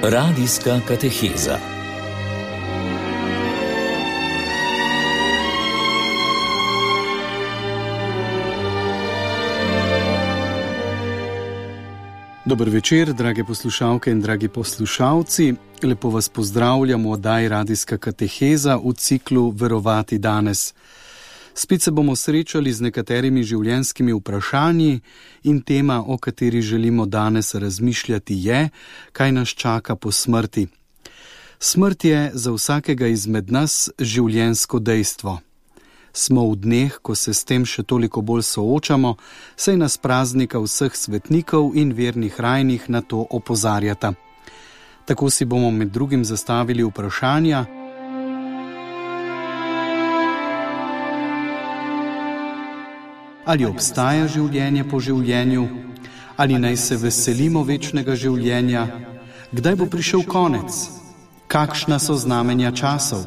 Radijska kateheza. Dober večer, drage poslušalke in dragi poslušalci. Lepo vas pozdravljamo v oddaji Radijska kateheza v ciklu Verovati danes. Spet se bomo srečali z nekaterimi življenjskimi vprašanji in tema, o kateri želimo danes razmišljati, je, kaj nas čaka po smrti. Smrt je za vsakega izmed nas življenjsko dejstvo. Smo v dneh, ko se s tem še toliko bolj soočamo, saj nas praznika vseh svetnikov in vernih rajnih na to opozarjata. Tako si bomo med drugim zastavili vprašanja: ali obstaja življenje po življenju? Ali naj se veselimo večnega življenja? Kdaj bo prišel konec? Kakšna so znamenja časov?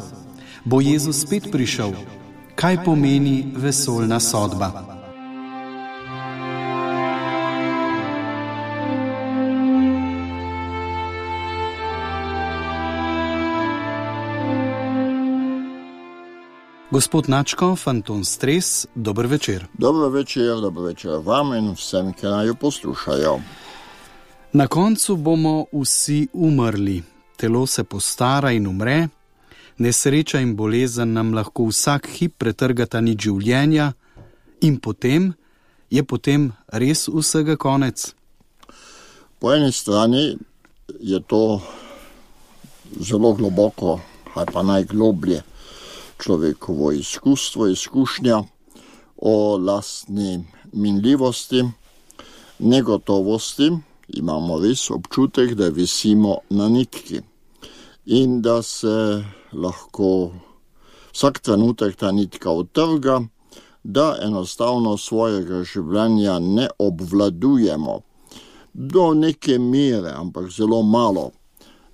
Bo Jezus spet prišel? Kaj pomeni vesoljna sodba? Gospod Načkov, Anton Stres, dober večer. Dobro večer vam in vsem, ki naj jo poslušajo. Na koncu bomo vsi umrli. Telo se postara in umre. Nesreča in bolezen nam lahko vsak hip pretrgata nič življenja in potem je res vsega konec. Po eni strani je to zelo globoko, ali pa najgloblje človekovo izkušnja o lastni minljivosti, negotovosti. Imamo res občutek, da visimo na nitki in da se lahko vsak trenutek ta nitka odtrga, da enostavno svojega življenja ne obvladujemo. Do neke mere, ampak zelo malo.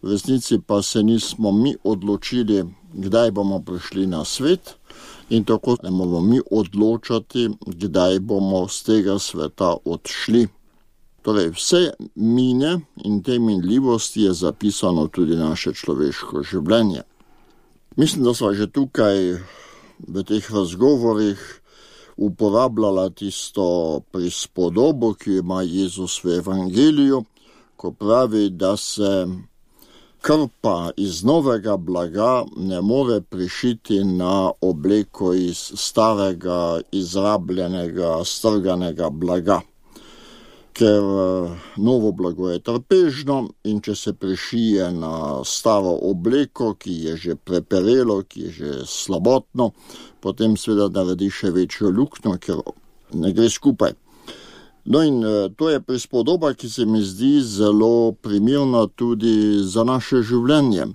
V resnici pa se nismo mi odločili, kdaj bomo prišli na svet, in tako ne bomo mi odločati, kdaj bomo z tega sveta odšli. Torej, vse mine in te minljivosti je zapisano tudi naše človeško življenje. Mislim, da sva že tukaj v teh razgovorih uporabljala tisto prispodobo, ki ima Jezus v Evangeliju, ko pravi, da se krpa iz novega blaga ne more prišiti na obleko iz starega, izrabljenega, strganega blaga. Ker novo blago je trpežno in če se prišije na staro obleko, ki je že preperelo, ki je že slabotno, potem seveda naredi še večjo luknjo, ker ne gre skupaj. No in to je prispodoba, ki se mi zdi zelo primerna tudi za naše življenje,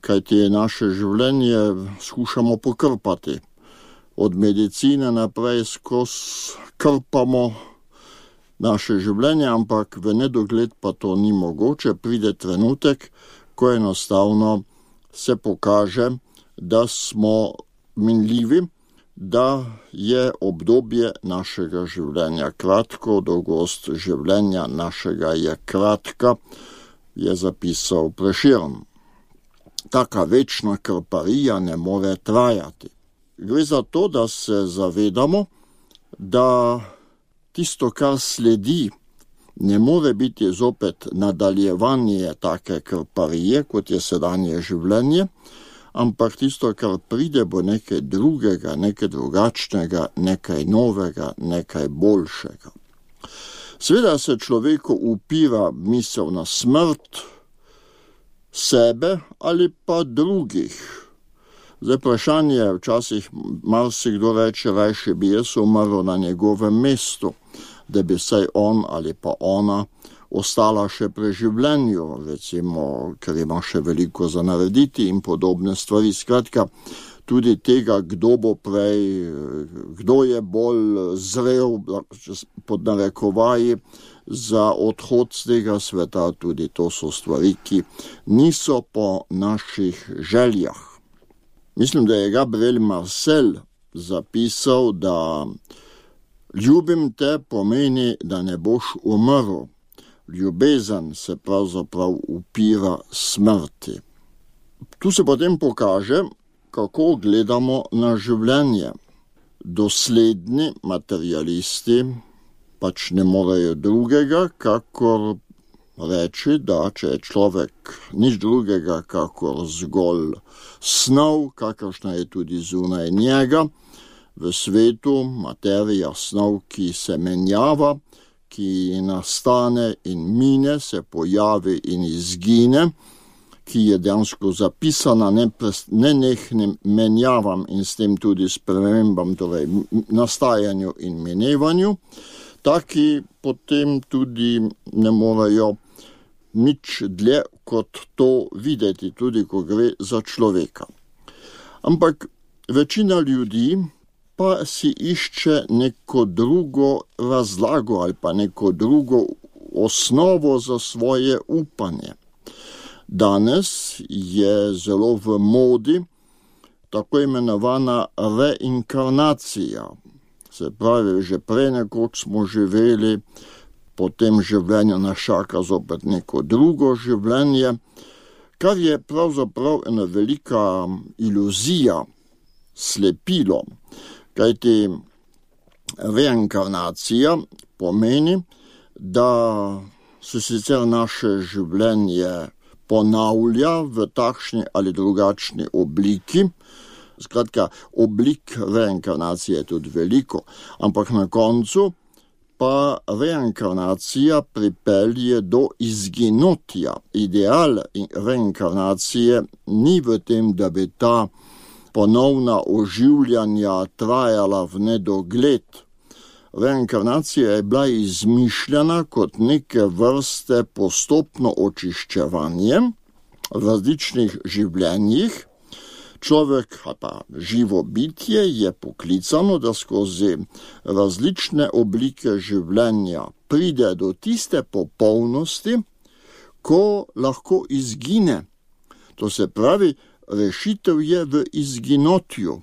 kajti naše življenje skušamo pokrpati. Od medicine naprej skozi krpamo naše življenje, ampak v nedogled pa to ni mogoče. Pride trenutek, ko enostavno se pokaže, da smo minljivi, da je obdobje našega življenja kratko, dolgost življenja našega je kratka, je zapisal Prešeren. Taka večna krparija ne more trajati. Gre za to, da se zavedamo, da tisto, kar sledi, ne more biti zopet nadaljevanje take krparije, kot je sedanje življenje, ampak tisto, kar pride, bo nekaj drugega, nekaj drugačnega, nekaj novega, nekaj boljšega. Seveda se človeku upira misel na smrt sebe ali pa drugih. Zdaj vprašanje, včasih marsikdo reče, rajše bi jaz umrl na njegovem mestu, da bi saj on ali pa ona ostala še pri življenju, recimo, ker ima še veliko za narediti in podobne stvari. Skratka, tudi tega, kdo bo prej, kdo je bolj zrel, pod narekovaji, za odhod z tega sveta, tudi to so stvari, ki niso po naših željah. Mislim, da je Gabriel Marcel zapisal, da ljubim te pomeni, da ne boš umrl, ljubezen se pravzaprav upira smrti. Tu se potem pokaže, kako gledamo na življenje. Dosledni materialisti pač ne morejo drugega, kakor reči, da če je človek nič drugega, kakor zgolj snov, kakršna je tudi zunaj njega, v svetu materija snov, ki se menjava, ki nastane in mine, se pojavi in izgine, ki je dejansko zapisana nenehnim menjavam in s tem tudi spremembam, torej nastajanju in minevanju, taki potem tudi ne morejo nič dlje kot to videti, tudi ko gre za človeka. Ampak večina ljudi pa si išče neko drugo razlago ali pa neko drugo osnovo za svoje upanje. Danes je zelo v modi tako imenovana reinkarnacija. Se pravi, že prej nekoč smo živeli, po tem življenju nas čaka zopet neko drugo življenje, kar je pravzaprav ena velika iluzija, slepilo. Kajti reinkarnacija pomeni, da se sicer naše življenje ponavlja v takšni ali drugačni obliki. Skratka, oblik reinkarnacije je tudi veliko, ampak na koncu pa reinkarnacija pripelje do izginotja. Ideal reinkarnacije ni v tem, da bi ta ponovna oživljanja trajala v nedogled. Reinkarnacija je bila izmišljena kot neke vrste postopno očiščevanje v različnih življenjih. Človek, pa živo bitje, je poklicano, da skozi različne oblike življenja pride do tiste popolnosti, ko lahko izgine. To se pravi, rešitev je v izginotju.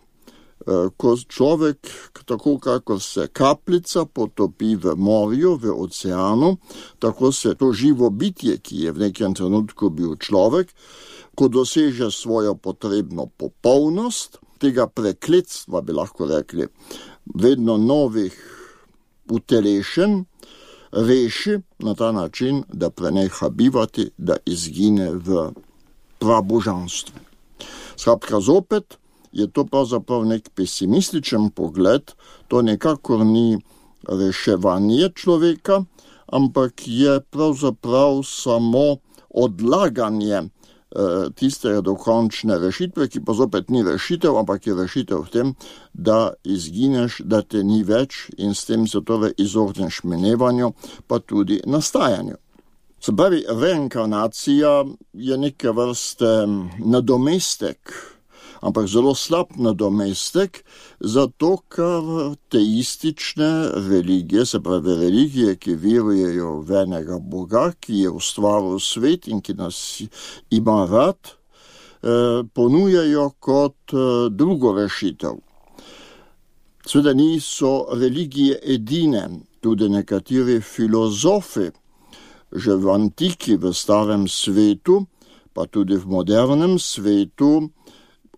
Ko človek, tako kako se kapljica potopi v morju, v oceanu, tako se to živo bitje, ki je v nekem trenutku bil človek, ko doseže svojo potrebno popolnost, tega prekletstva, bi lahko rekli, vedno novih utelešen, reši na ta način, da preneha bivati, da izgine v prabožanstvu. Skratka, zopet je to pravzaprav nek pesimističen pogled, to nekakor ni reševanje človeka, ampak je pravzaprav samo odlaganje tiste dokončne rešitve, ki pa zopet ni rešitev, ampak je rešitev v tem, da izgineš, da te ni več in s tem se torej izogneš minevanju, pa tudi nastajanju. Se pravi, reinkarnacija je neke vrste nadomestek, ampak zelo slab nadomestek, zato ker teistične religije, se pravi religije, ki verujejo v enega Boga, ki je ustvaril svet in ki nas ima rad, ponujajo kot drugo rešitev. Seveda niso religije edine, tudi nekateri filozofi, že v antiki, v starem svetu, pa tudi v modernem svetu,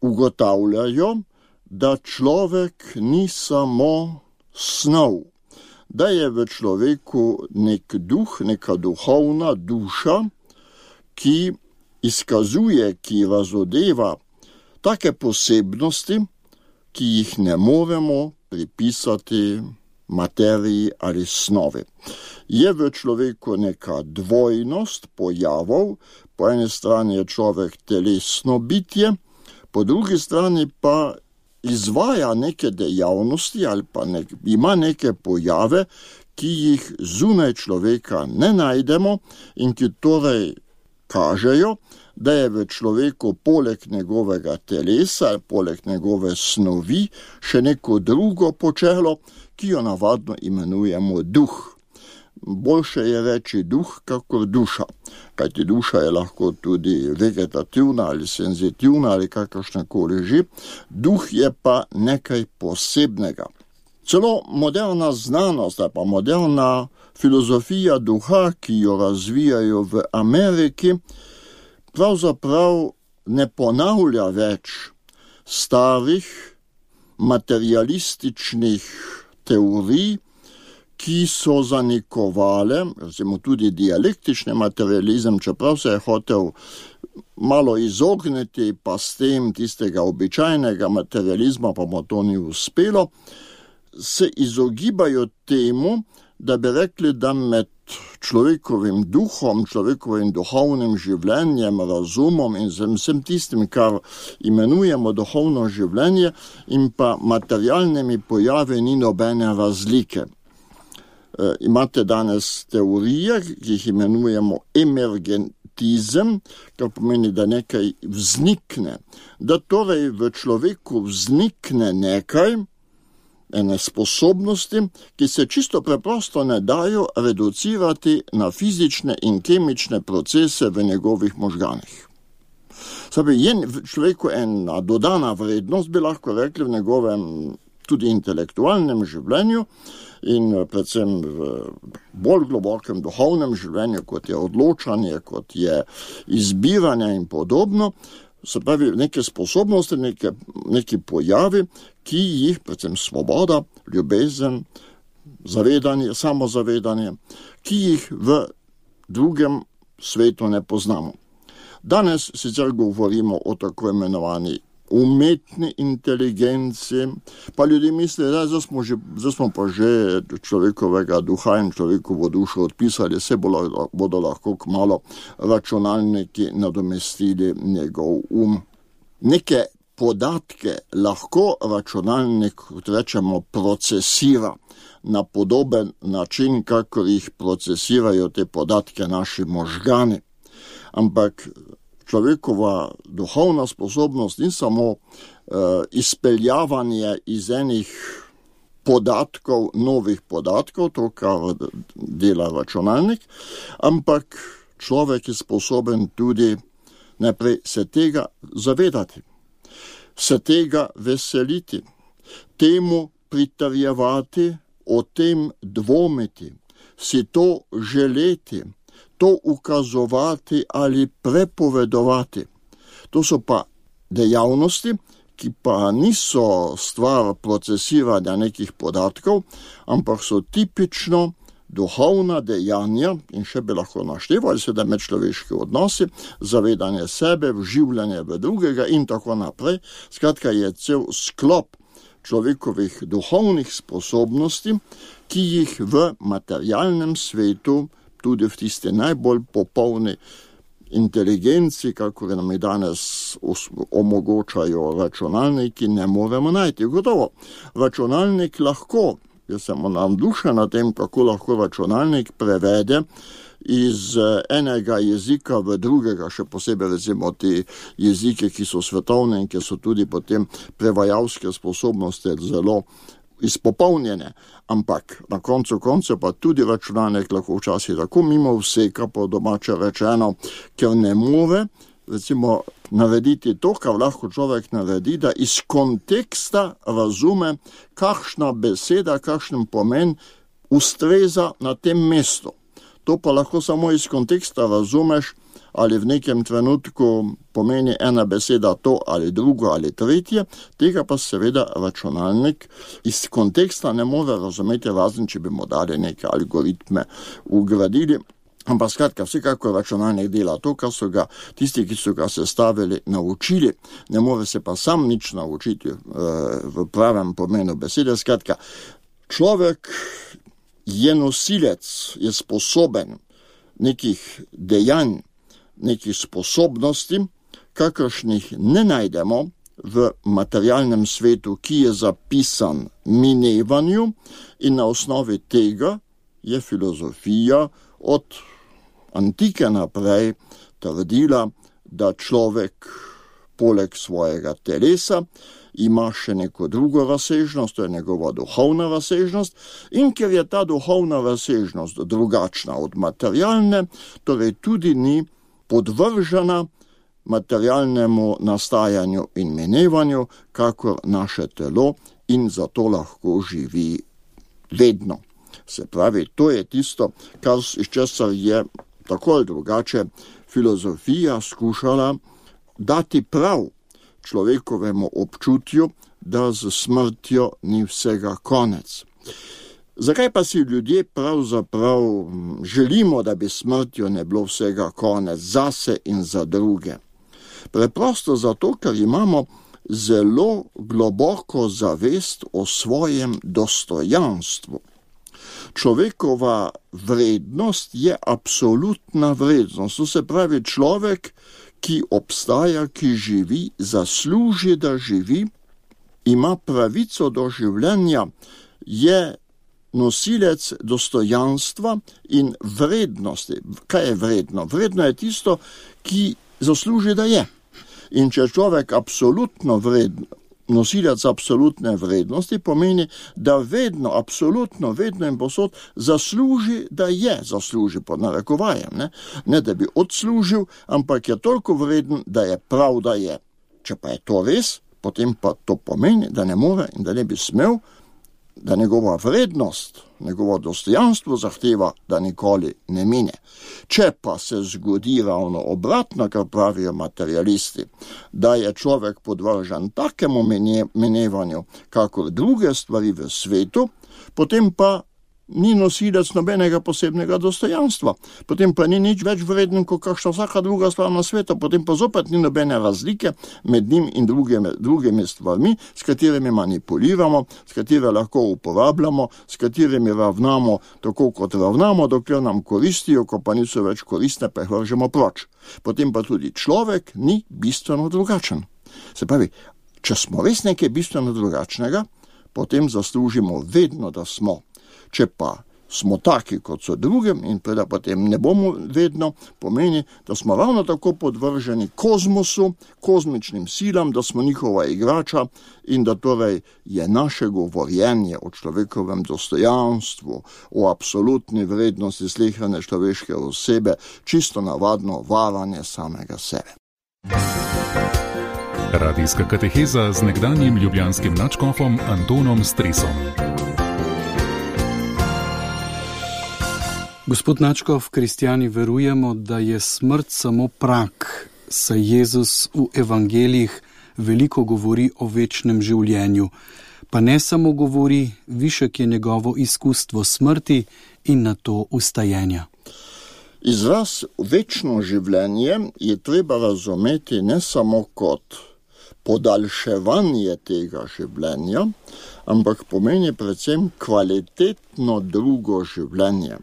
ugotavljajo, da človek ni samo snov, da je v človeku nek duh, neka duhovna duša, ki izkazuje, ki razodeva take posebnosti, ki jih ne moremo pripisati materiji ali snovi. Je v človeku neka dvojnost pojavov, po eni strani je človek telesno bitje, po drugi strani pa izvaja neke dejavnosti ali pa ima neke pojave, ki jih zunaj človeka ne najdemo in ki torej kažejo, da je v človeku poleg njegovega telesa, poleg njegove snovi, še neko drugo počelo, ki jo navadno imenujemo duh. Boljše je reči duh, kakor duša, kajti duša je lahko tudi vegetativna ali senzitivna ali kakršnakoli že. Duh je pa nekaj posebnega. Celo moderna znanost, pa moderna filozofija duha, ki jo razvijajo v Ameriki, pravzaprav ne ponavlja več starih materialističnih teorij, ki so zanikovale, recimo tudi dialektični materializem, čeprav se je hotel malo izogniti pa s tem tistega običajnega materializma, pa mu to ni uspelo, se izogibajo temu, da bi rekli, da med človekovim duhom, človekovim duhovnim življenjem, razumom in vsem tistim, kar imenujemo duhovno življenje, in pa materialnimi pojavi ni nobene razlike. Imate danes teorije, ki jih imenujemo emergentizem, kar pomeni, da nekaj vznikne. Da torej v človeku vznikne nekaj, ene sposobnosti, ki se čisto preprosto ne dajo reducirati na fizične in kemične procese v njegovih možganih. Sabi, je v človeku ena dodana vrednost, bi lahko rekli, v njegovem tudi intelektualnem življenju in predvsem v bolj globokem duhovnem življenju, kot je odločanje, kot je izbiranje in podobno. Se pravi, neke sposobnosti, neki pojavi, ki jih, predvsem svoboda, ljubezen, zavedanje, samozavedanje, ki jih v drugem svetu ne poznamo. Danes sicer govorimo o tako imenovani umetni inteligenci, pa ljudje mislijo, da zdaj smo pa že človekovega duha in človekovo dušo odpisali, se bodo lahko kmalu računalniki nadomestili njegov Neke podatke lahko računalnik, kot rečemo, procesira na podoben način, kakor jih procesirajo te podatke naši možgani. Ampak človekova duhovna sposobnost ni samo izpeljavanje iz enih podatkov, novih podatkov, to, kar dela računalnik, ampak človek je sposoben tudi najprej se tega zavedati, se tega veseliti, temu pritrjevati, o tem dvomiti, si to želeti, to ukazovati ali prepovedovati. To so pa dejavnosti, ki pa niso stvar procesiranja nekih podatkov, ampak so tipično duhovna dejanja, in še bi lahko naštevali seveda medčloveški odnosi, zavedanje sebe, vživljanje v drugega in tako naprej. Skratka, je cel sklop človekovih duhovnih sposobnosti, ki jih v materialnem svetu, tudi v tisti najbolj popolni inteligenci, kako nam danes omogočajo računalniki, ne moremo najti. Gotovo, računalnik lahko, jaz sem navdušen na tem, kako lahko računalnik prevede iz enega jezika v drugega, še posebej recimo ti jezike, ki so svetovne in ki so tudi potem prevajalske sposobnosti zelo izpopolnjene. Ampak na koncu pa tudi računalnik lahko včasih tako mimo vseka, po domače rečeno, ker ne more recimo narediti to, kar lahko človek naredi, da iz konteksta razume, kakšna beseda, kakšen pomen ustreza na tem mestu. To pa lahko samo iz konteksta razumeš, ali v nekem trenutku pomeni ena beseda to ali drugo ali tretje, tega pa seveda računalnik iz konteksta ne more razumeti, razen če bi mu dali neke algoritme ugradili. Ampak skratka, vsekako računalnik dela to, kar so ga tisti, ki so ga sestavili, naučili. Ne more se pa sam nič naučiti v pravem pomenu besede. Skratka, človek je nosilec, je sposoben nekih dejanj, nekih sposobnosti, kakršnih ne najdemo v materialnem svetu, ki je zapisan minevanju, in na osnovi tega je filozofija od antike naprej trdila, da človek poleg svojega telesa ima še neko drugo razsežnost, to je njegova duhovna razsežnost, in ker je ta duhovna razsežnost drugačna od materialne, torej tudi ni podvržena materialnemu nastajanju in minevanju, kakor naše telo in zato lahko živi vedno. Se pravi, to je tisto, kar iz česar je tako ali drugače filozofija skušala dati prav človekovemu občutju, da z smrtjo ni vsega konec. Zakaj pa si ljudje pravzaprav želimo, da bi smrtjo ne bilo vsega konec zase in za druge? Preprosto zato, ker imamo zelo globoko zavest o svojem dostojanstvu. Človekova vrednost je absolutna vrednost. To se pravi, človek, ki obstaja, ki živi, zasluži, da živi, ima pravico do življenja, je nosilec dostojanstva in vrednosti. Kaj je vredno? Vredno je tisto, ki zasluži, da je. In če človek absolutno vredno, nosilec absolutne vrednosti, pomeni, da vedno, absolutno, vedno in posod zasluži, da je, zasluži pod narekovajem, ne da bi odslužil, ampak je toliko vreden, da je prav, da je. Če pa je to res, potem pa to pomeni, da ne more in da ne bi smel, da njegova vrednost, njegovo dostojanstvo zahteva, da nikoli ne mine. Če pa se zgodi ravno obratno, kar pravijo materialisti, da je človek podvržen takemu minevanju, kakor druge stvari v svetu, potem pa ni nosilec nobenega posebnega dostojanstva. Potem pa ni nič več vreden, kot kakšna vsaka druga stvar na svetu. Potem pa zopet ni nobene razlike med njim in drugimi stvarmi, s katerimi manipuliramo, s katerimi lahko uporabljamo, s katerimi ravnamo tako, kot ravnamo, dokler nam koristijo, ko pa niso več koristne, pa jih vržemo proč. Potem pa tudi človek ni bistveno drugačen. Se pravi, če smo res nekaj bistveno drugačnega, potem zaslužimo vedno, da smo. Če pa smo taki, kot so drugim in da potem ne bomo vedno, pomeni, da smo ravno tako podvrženi kozmosu, kozmičnim silam, da smo njihova igrača in da torej je naše govorjenje o človekovem dostojanstvu, o absolutni vrednosti slehrane človeške osebe, čisto navadno varanje samega sebe. Radijska kateheza z nekdanjim ljubljanskim nadškofom Antonom Stresom. Gospod nadškof, kristjani verujemo, da je smrt samo prak, saj Jezus v evangelijih veliko govori o večnem življenju. Pa ne samo govori, višek je njegovo izkustvo smrti in nato ustajenja. Izraz večno življenje je treba razumeti ne samo kot podaljševanje tega življenja, ampak pomeni predvsem kvalitetno drugo življenje.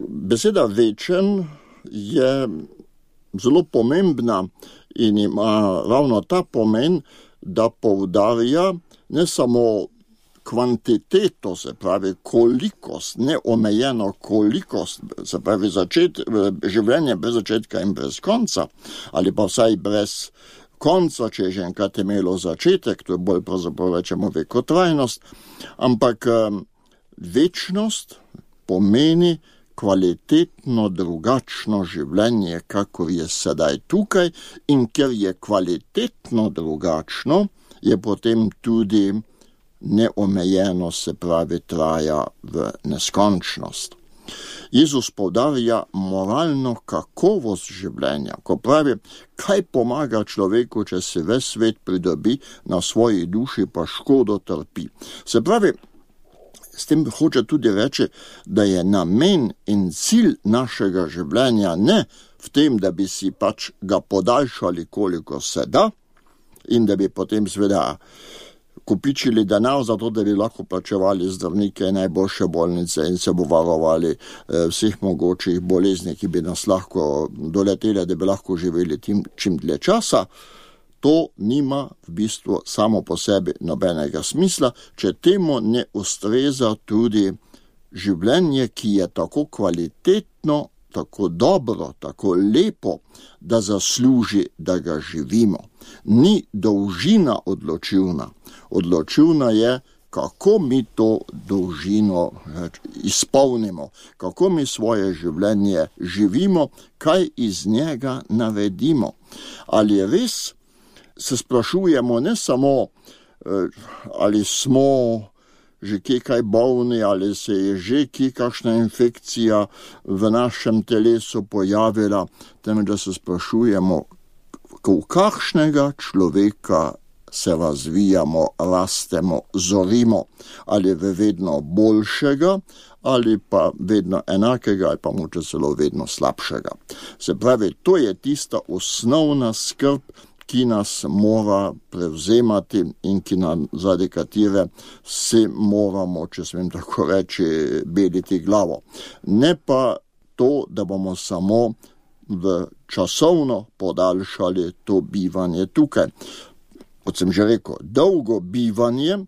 Beseda večen je zelo pomembna in ima ravno ta pomen, da poudarja ne samo kvantiteto, se pravi kolikost, neomejeno kolikost, se pravi življenje brez začetka in brez konca, ali pa vsaj brez konca, če je že enkrat imelo začetek, to je bolj pravzaprav rečemo vekotrajnost, ampak večnost pomeni kvalitetno drugačno življenje, kakor je sedaj tukaj, in ker je kvalitetno drugačno, je potem tudi neomejeno, se pravi, traja v neskončnost. Jezus poudarja moralno kakovost življenja, ko pravi, kaj pomaga človeku, če se ves svet pridobi, na svoji duši pa škodo trpi. Se pravi, s tem hoče tudi reči, da je namen in cilj našega življenja ne v tem, da bi si pač ga podaljšali, koliko se da, in da bi potem seveda kopičili denar za to, da bi lahko plačevali zdravnike, najboljše bolnice in se bo varovali vseh mogočih bolezni, ki bi nas lahko doletele, da bi lahko živeli čim dlje časa. To nima v bistvu samo po sebi nobenega smisla, če temu ne ustreza tudi življenje, ki je tako kvalitetno, tako dobro, tako lepo, da zasluži, da ga živimo. Ni dolžina odločilna. Odločilna je, kako mi to dolžino izpolnimo, kako mi svoje življenje živimo, kaj iz njega naredimo. Ali res se sprašujemo ne samo, ali smo že kaj bolni, ali se je že kakšna infekcija v našem telesu pojavila, temveč da se sprašujemo, v kakšnega človeka se razvijamo, rastemo, zorimo, ali v vedno boljšega, ali pa vedno enakega, ali pa moče celo vedno slabšega. Se pravi, to je tista osnovna skrb, ki nas mora prevzemati in zaradi katere se moramo, če smem tako reči, beliti glavo. Ne pa to, da bomo samo časovno podaljšali to bivanje tukaj. Kot sem že rekel, dolgo bivanje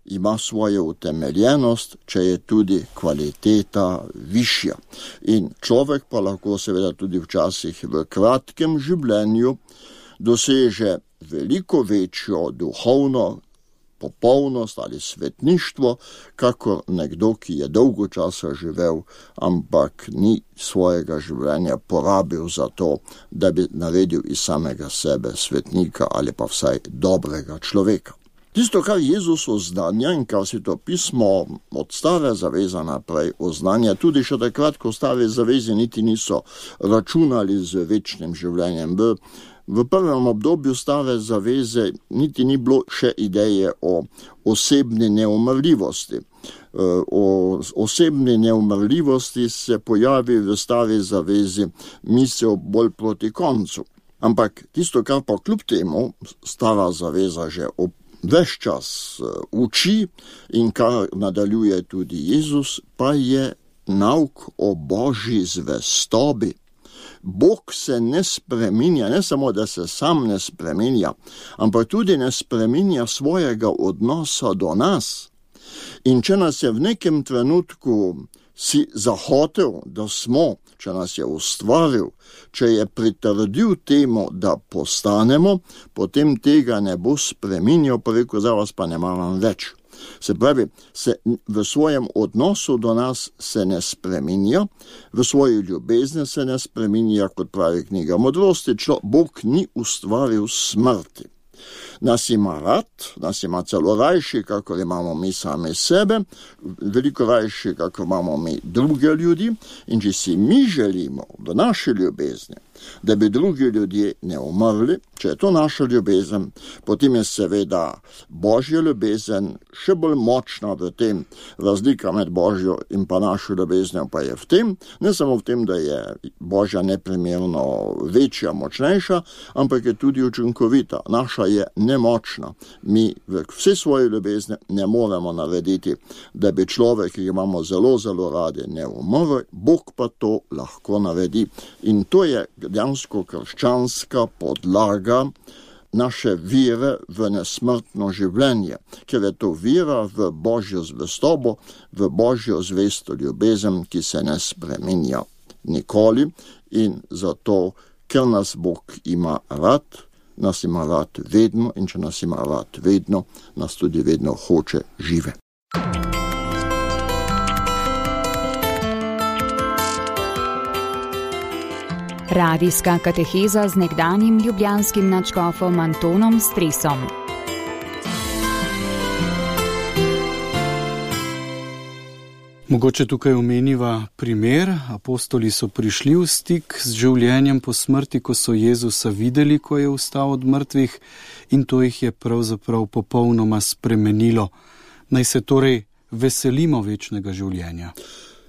ima svojo utemeljenost, če je tudi kvaliteta višja. In človek pa lahko seveda tudi včasih v kratkem življenju doseže veliko večjo duhovno popolnost ali svetništvo, kakor nekdo, ki je dolgo časa živel, ampak ni svojega življenja porabil za to, da bi naredil iz samega sebe svetnika ali pa vsaj dobrega človeka. Tisto, kar Jezus oznanja in kar si to pismo od stare zaveze naprej oznanja, tudi še takrat, ko stare zaveze niti niso računali z večnim življenjem. V prvem obdobju stare zaveze niti ni bilo še ideje o osebni neumrljivosti. O osebni neumrljivosti se pojavi v stari zavezi misel bolj proti koncu. Ampak tisto, kar pa kljub temu stara zaveza že ves čas uči in kar nadaljuje tudi Jezus, pa je nauk o Božji zvestobi. Bog se ne spreminja, ne samo, da se sam ne spreminja, ampak tudi ne spreminja svojega odnosa do nas. In če nas je v nekem trenutku si zahotel, da smo, če nas je ustvaril, če je pritrdil temu, da postanemo, potem tega ne bo spreminjal, pa rekel, za vas pa ne maram več. Se pravi, v svojem odnosu do nas se ne spreminja, v svoji ljubezni se ne spreminja, kot pravi knjiga Modrosti, Bog ni ustvaril smrti. Nas ima rad, nas ima celo rajši, kakor imamo mi sami sebe, veliko rajši, kakor imamo mi druge ljudi, in če si mi želimo v naši ljubezni, da bi drugi ljudje ne umrli, če je to naša ljubezen, potem je seveda Božja ljubezen še bolj močna v tem. Razlika med Božjo in pa našo ljubeznijo pa je v tem, ne samo v tem, da je Božja neprimerno večja, močnejša, ampak je tudi učinkovita. Naša je nemočna. Mi v vse svoje ljubezni ne moremo narediti, da bi človek, ki ga imamo zelo, zelo radi, ne umrl, Bog pa to lahko naredi. In to je dejansko krščanska podlaga naše vere v nesmrtno življenje, ker je to vera v Božjo zvestobo, v Božjo zvesto ljubezen, ki se ne spreminja nikoli, in zato, ker nas Bog ima rad, nas ima rad vedno, in če nas ima rad vedno, nas tudi vedno hoče žive. Radijska kateheza z nekdanjim ljubljanskim nadškofom Antonom Stresom. Mogoče tukaj omeniva primer. Apostoli so prišli v stik z življenjem po smrti, ko so Jezusa videli, ko je vstal od mrtvih, in to jih je pravzaprav popolnoma spremenilo. Naj se torej veselimo večnega življenja.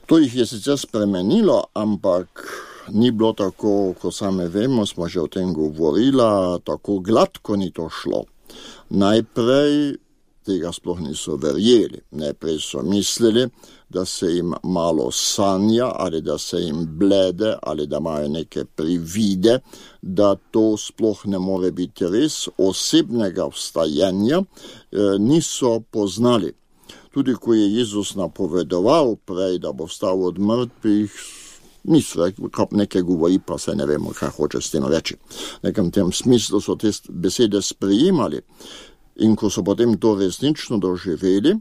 To jih je sicer spremenilo, ampak ni bilo tako, ko same vemo, smo že o tem govorila, tako gladko ni to šlo. Najprej tega sploh niso verjeli. Najprej so mislili, da se jim malo sanja, ali da se jim blede, ali da imajo neke privide, da to sploh ne more biti res. Osebnega vstajenja niso poznali. Tudi ko je Jezus napovedoval prej, da bo vstal od mrtvih, niso nekaj govori, pa se ne vemo, kaj hoče s tem reči. V nekem tem smislu so te besede sprejemali. In ko so potem to resnično doživeli,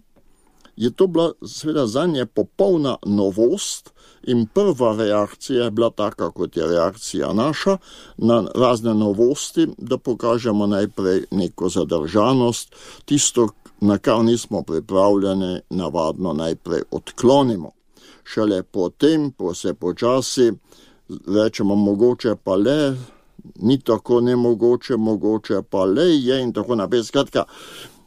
je to bila seveda zanje popolna novost in prva reakcija je bila taka, kot je reakcija naša, na razne novosti, da pokažemo najprej neko zadržanost, tisto, na kar nismo pripravljeni, navadno najprej odklonimo. Šele potem, se počasi, rečemo mogoče pa le, ni tako nemogoče, mogoče pa le je in tako naprej. Skratka,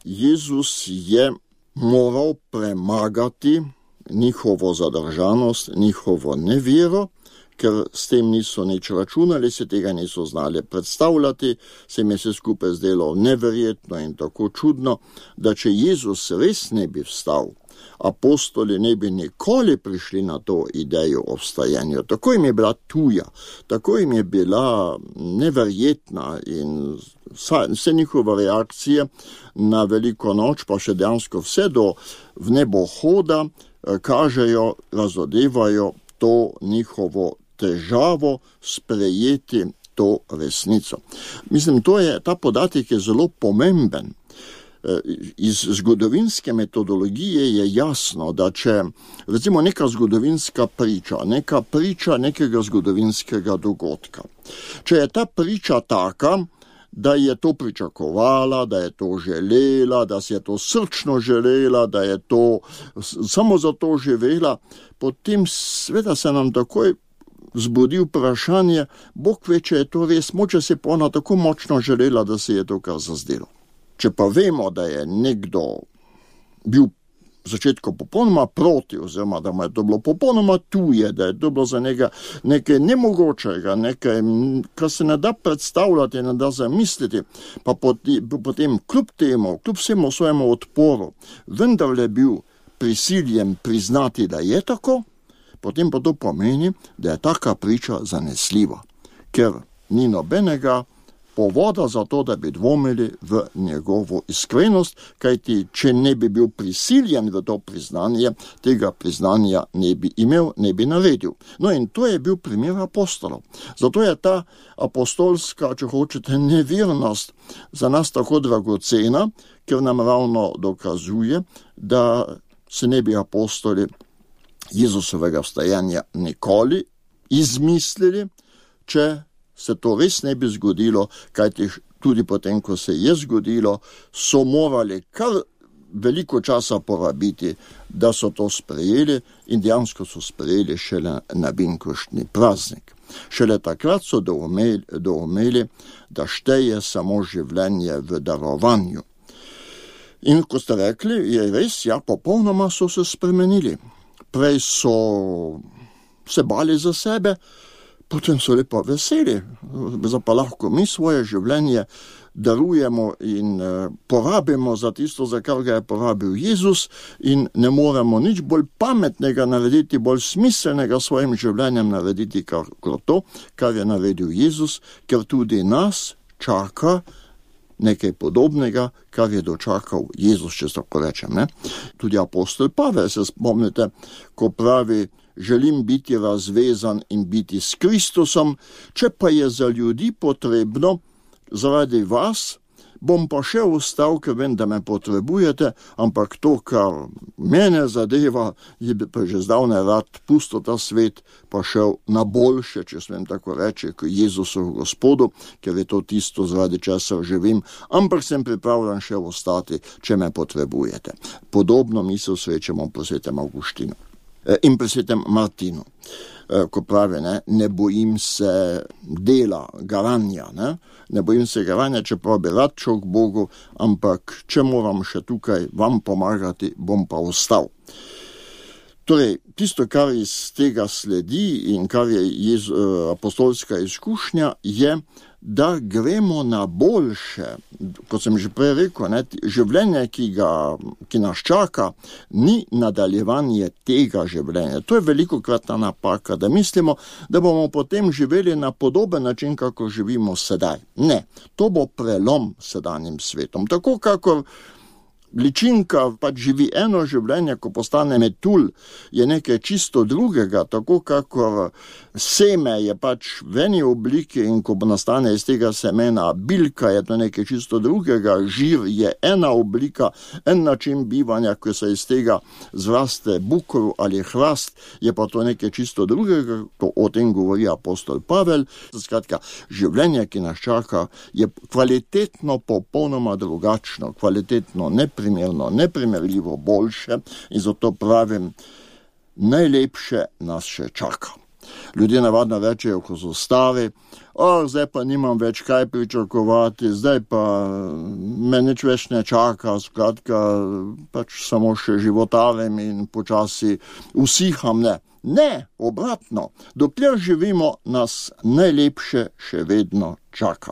Jezus je moral premagati njihovo zadržanost, njihovo nevero, ker s tem niso nič računali, se tega niso znali predstavljati, se mi se skupaj zdelo neverjetno in tako čudno, da če Jezus res ne bi vstal, apostoli ne bi nikoli prišli na to idejo o vstajanju. Tako jim je bila tuja, tako jim je bila neverjetna in vse njihove reakcije na Veliko noč, pa še dejansko vse do vnebohoda, kažejo, razodevajo to njihovo težavo sprejeti to resnico. Mislim, ta podatek je zelo pomemben. Iz zgodovinske metodologije je jasno, da če recimo neka zgodovinska priča, neka priča nekega zgodovinskega dogodka, če je ta priča taka, da je to pričakovala, da je to želela, da si je to srčno želela, da je to samo zato živela, potem sveda se nam takoj zbudi vprašanje, Bog ve, če je to res, moče se pa ona tako močno želela, da se je to kar zazdelo. Če pa vemo, da je nekdo bil v začetku popolnoma proti, oziroma da mu je to bilo popolnoma tuje, da je to bilo za njega nekaj nemogočega, nekaj, kar se ne da predstavljati, ne da zamisliti, pa potem kljub temu, kljub vsemu svojemu odporu, vendar je bil prisiljen priznati, da je tako, potem pa to pomeni, da je taka priča zanesljiva, ker ni nobenega povoda za to, da bi dvomili v njegovo iskrenost, kajti če ne bi bil prisiljen v to priznanje, tega priznanja ne bi imel, ne bi naredil. No in to je bil primer apostolov. Zato je ta apostolska, če hočete, nevernost za nas tako dragocena, ker nam ravno dokazuje, da se ne bi apostoli Jezusovega vstajanja nikoli izmislili, če se to res ne bi zgodilo, kajti tudi potem, ko se je zgodilo, so morali kar veliko časa porabiti, da so to sprejeli in dejansko so sprejeli šele na binkoštni praznik. Šele takrat so doumeli, da šteje samo življenje v darovanju. In ko ste rekli, je res, ja, popolnoma so se spremenili. Prej so se bali za sebe, potem so lepo veseli, pa lahko mi svoje življenje darujemo in porabimo za tisto, za kar ga je porabil Jezus in ne moremo nič bolj pametnega narediti, bolj smiselnega svojim življenjem narediti, kot to, kar je naredil Jezus, ker tudi nas čaka nekaj podobnega, kar je dočakal Jezus, če tako rečem. Ne? Tudi apostol Pavel, se spomnite, ko pravi, želim biti razvezan in biti s Kristusom, če pa je za ljudi potrebno, zaradi vas, bom pa še ostal, ker vem, da me potrebujete, ampak to, kar mene zadeva, je pa že zdavnaj rad pustil ta svet, pa šel na boljše, če smem tako reči, k Jezusu Gospodu, ker je to tisto, zaradi česar živim, ampak sem pripravljen še ostati, če me potrebujete. Podobno misel srečamo po svetem Avguštinu in pri svetem Martinu, ko pravi, ne bojim se dela, garanja, ne bojim se garanja, čeprav bi rad šel k Bogu, ampak če moram še tukaj vam pomagati, bom pa ostal. Torej, tisto, kar iz tega sledi in kar je apostolska izkušnja, je, da gremo na boljše. Kot sem že prej rekel, življenje, ki nas čaka, ni nadaljevanje tega življenja. To je velikokratna napaka, da mislimo, da bomo potem živeli na podoben način, kako živimo sedaj. Ne, to bo prelom s sedanjim svetom. Tako, kakor ličinka pač živi eno življenje, ko postane metulj, je nekaj čisto drugega, tako kakor seme je pač v eni obliki in ko nastane iz tega semena bilka, je to nekaj čisto drugega, žir je ena oblika, en način bivanja, ko se iz tega zraste bukor ali hrast, je pa to nekaj čisto drugega, ko o tem govori apostol Pavel. Skratka, življenje, ki nas čaka, je kvalitetno popolnoma drugačno, kvalitetno neprimerno, neprimerljivo boljše in zato pravim, najlepše nas še čaka. Ljudje navadno rečejo, ko so stari, zdaj pa nimam več kaj pričakovati, zdaj pa me nič več ne čaka, skratka, pač samo še životarim in počasi usiham, ne. Ne, obratno, dokler živimo, nas najlepše še vedno čaka.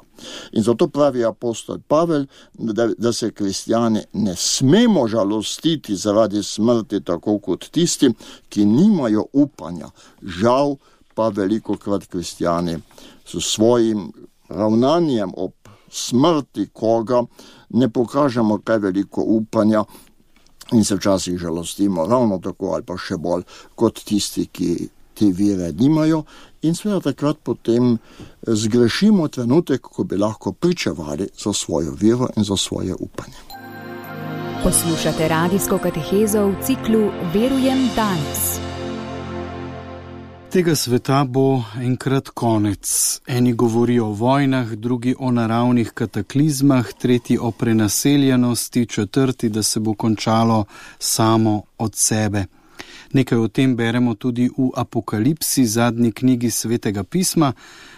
In zato pravi apostol Pavel, da se kristjani ne smemo žalostiti zaradi smrti, tako kot tisti, ki nimajo upanja. Žal pa velikokrat kristjani s svojim ravnanjem ob smrti koga ne pokažemo kaj veliko upanja, in se včasih žalostimo ravno tako ali pa še bolj kot tisti, ki te vire nimajo in seveda takrat potem zgrešimo trenutek, ko bi lahko pričevali za svojo vero in za svoje upanje. Poslušate radijsko katehezo v ciklu Verujem danes. Tega sveta bo enkrat konec. Eni govorijo o vojnah, drugi o naravnih kataklizmah, tretji o prenaseljenosti, četrti, da se bo končalo samo od sebe. Nekaj o tem beremo tudi v Apokalipsi, zadnji knjigi Svetega pisma.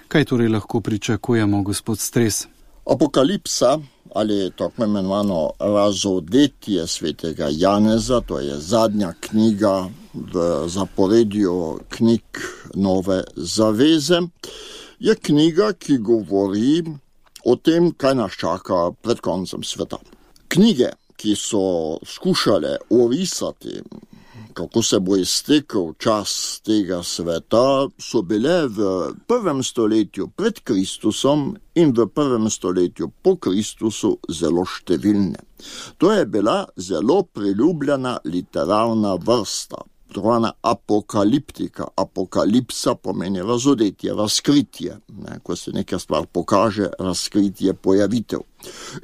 Kaj torej lahko pričakujemo, gospod Stres? Apokalipsa, ali tako imenovano razodetje Svetega Janeza, to je zadnja knjiga v zaporedju knjig Nove zaveze, je knjiga, ki govori o tem, kaj nas čaka pred koncem sveta. Knjige, ki so skušale orisati, kako se bo iztekel čas tega sveta, so bile v 1. stoletju pred Kristusom in v 1. stoletju po Kristusu zelo številne. To je bila zelo priljubljena literarna vrsta, trovana apokaliptika. Apokalipsa pomeni razodetje, razkritje. Ko se neka stvar pokaže, razkritje, pojavitev.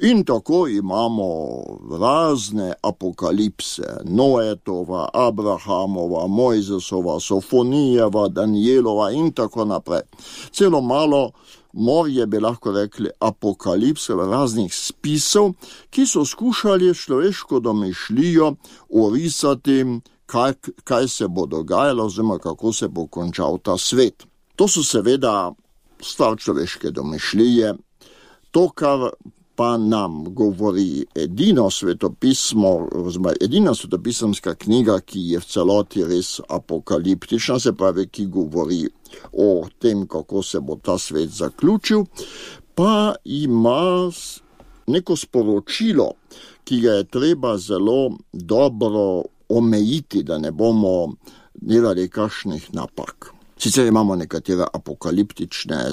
In tako imamo razne apokalipse, Noetova, Abrahamova, Mojzesova, Sofonijeva, Danielova in tako naprej. Celo malo morje bi lahko rekli apokalipse raznih spisov, ki so skušali človeško domišljijo orisati, kaj se bo dogajalo, oziroma kako se bo končal ta svet. To so seveda stvar človeške domišljije. To, kar pa nam govori edino svetopismo, oziroma edina svetopisemska knjiga, ki je v celoti res apokaliptična, se pravi, ki govori o tem, kako se bo ta svet zaključil, pa ima neko sporočilo, ki ga je treba zelo dobro omejiti, da ne bomo delali kakšnih napak. Sicer imamo nekatere apokaliptične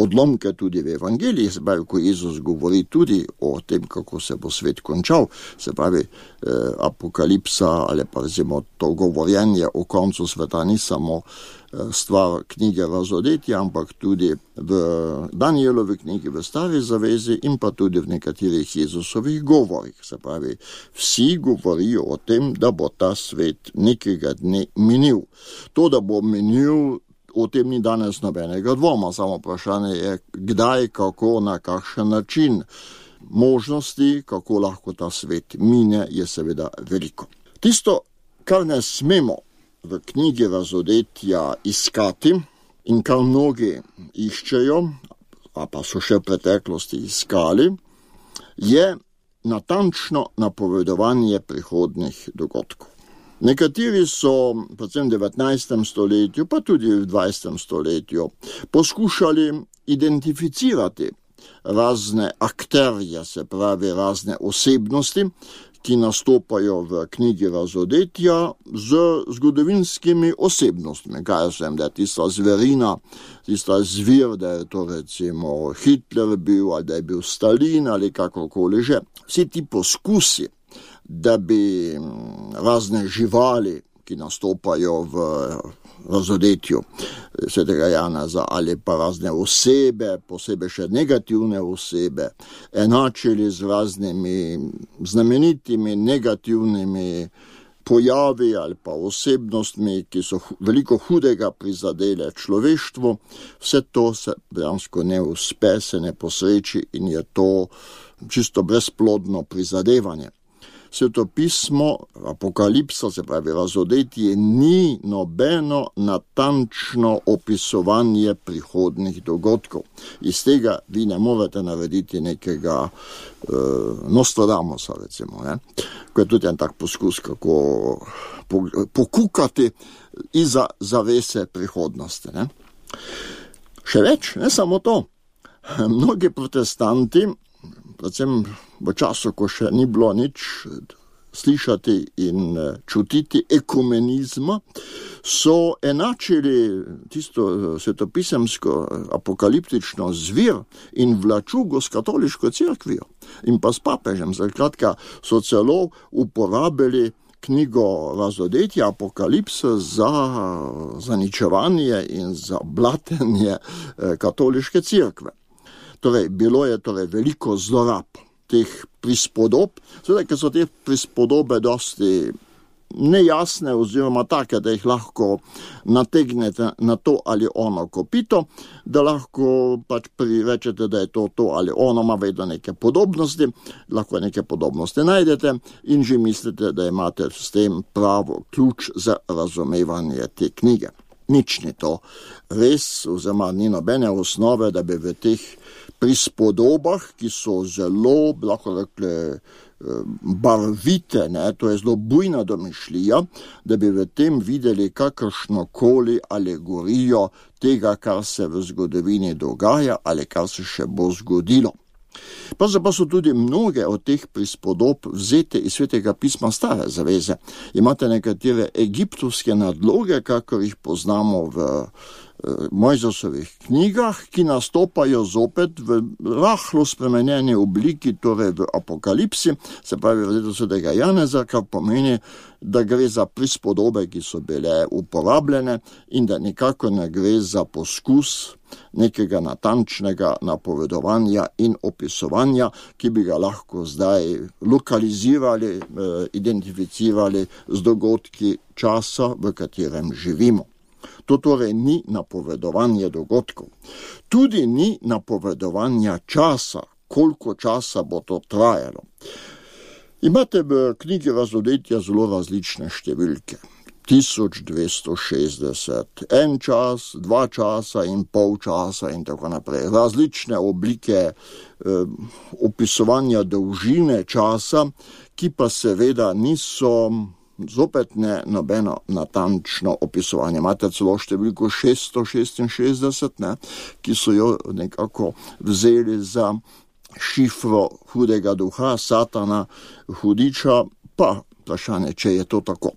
odlomke tudi v evangeliji, se pravi, ko Jezus govori tudi o tem, kako se bo svet končal, se pravi, apokalipsa ali pa recimo to govorjenje o koncu sveta ni samo stvar knjige razodetja, ampak tudi v Danielovi knjigi v Stari zavezi in pa tudi v nekaterih Jezusovih govorih. Se pravi, vsi govorijo o tem, da bo ta svet nekega dne minil. To, da bo minil, o tem ni danes nobenega dvoma, samo vprašanje je, kdaj, kako, na kakšen način. Možnosti, kako lahko ta svet mine, je seveda veliko. Tisto, kar ne smemo v knjigi razodetja iskati in kar mnogi iščejo, a pa so še v preteklosti iskali, je natančno napovedovanje prihodnjih dogodkov. Nekateri so, predvsem v 19. stoletju, pa tudi v 20. stoletju, poskušali identificirati razne akterje, se pravi razne osebnosti, ki nastopajo v knjigi razodetja z zgodovinskimi osebnostmi. Kaj sem, da je tista zverina, tista zvir, da je to recimo Hitler bil, ali da je bil Stalin, ali kakokoli že. Vsi ti poskusi, da bi razne živali, ki nastopajo v razodetju svetega Janeza, ali pa razne osebe, posebej še negativne osebe, enačili z raznimi znamenitimi negativnimi pojavi ali pa osebnostmi, ki so veliko hudega prizadele človeštvu. Vse to se dejansko ne uspe, se ne posreči in je to čisto brezplodno prizadevanje. Sveto pismo, Apokalipsa, se pravi razodetje, ni nobeno natančno opisovanje prihodnih dogodkov. Iz tega vi ne morete narediti nekega Nostradamusa, recimo, ne? Ko je tudi en tak poskus, kako pokukati iza zavese prihodnosti. Ne? Še več, ne samo to. Mnogi protestanti, predvsem v času, ko še ni bilo nič slišati in čutiti ekumenizma, so enačili tisto svetopisemsko apokaliptično zvir in vlačugo s katoliško cerkvijo in pa s papežem. Zakratka so celo uporabili knjigo razodetja Apokalipse za zaničevanje in za blatenje katoliške cerkve. Torej, bilo je veliko zlorab teh prispodob, seveda, ker so te prispodobe dosti nejasne oziroma take, da jih lahko nategnete na to ali ono kopito, da lahko pač prirečete, da je to ali ono, ima vedno neke podobnosti, lahko neke podobnosti najdete in že mislite, da imate s tem pravo ključ za razumevanje te knjige. Nič ni to res, oziroma ni nobene osnove, da bi v teh prispodobah, ki so zelo, lahko rekli, barvite, ne, to je zelo bujna domišljija, da bi v tem videli kakršnokoli alegorijo tega, kar se v zgodovini dogaja ali kar se še bo zgodilo. Pravzaprav so tudi mnoge od teh prispodob vzete iz svetega pisma Stare zaveze. Imate nekatere egiptovske nadloge, kakor jih poznamo v Mojzesovih knjigah, ki nastopajo zopet v rahlo spremenjeni obliki, torej v Apokalipsi, se pravi v letu svetega Janeza, kar pomeni, da gre za prispodobe, ki so bile uporabljene in da nikako ne gre za poskus nekega natančnega napovedovanja in opisovanja, ki bi ga lahko zdaj lokalizirali, identificirali z dogodki časa, v katerem živimo. To torej ni napovedovanje dogodkov. Tudi ni napovedovanja časa, koliko časa bo to trajalo. Imate v knjigi razodetja zelo različne številke. 1260, en čas, 2 časa in pol časa in tako naprej. Različne oblike opisovanja dolžine časa, ki pa seveda niso zopet ne nobeno natančno opisovanje. Imate celo številko 666, ne, ki so jo nekako vzeli za šifro hudega duha, Satana, hudiča, pa vprašanje, če je to tako.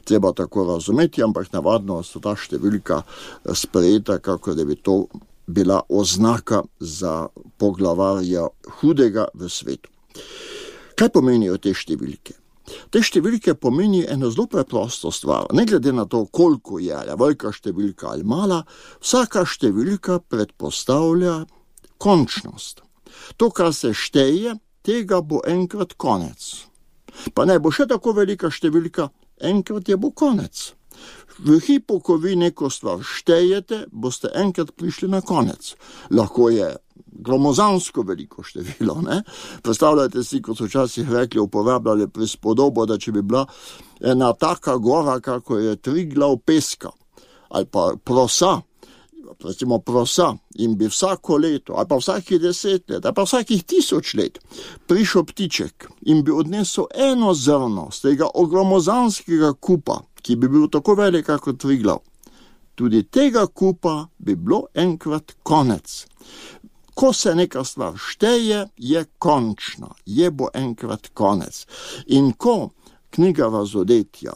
Treba tako razumeti, ampak navadno so ta številka sprejeta, kako da bi to bila oznaka za poglavarja hudega v svetu. Kaj pomenijo te številke? Te številke pomeni eno zelo preprosto stvar. Ne glede na to, koliko je, ali velika številka ali mala, vsaka številka predpostavlja končnost. To, kar se šteje, tega bo enkrat konec. Pa ne bo še tako velika številka, enkrat je bo konec. V hipu, ko vi neko stvar štejete, boste enkrat prišli na konec. Lahko je gromozansko veliko število, ne? Predstavljajte si, kot so včasih rekli, uporabljali prispodobo, da če bi bila ena taka gora, kako je Triglav peska, ali pa prosa, recimo prosa, in bi vsako leto, ali pa vsakih 10 let, ali pa vsakih 1000 let prišel ptiček in bi odnesel eno zrno z tega ogromozanskega kupa, ki bi bil tako velik kot Triglav. Tudi tega kupa bi bilo enkrat konec. Ko se neka stvar šteje, je končna, je bo enkrat konec. In ko knjiga razodetja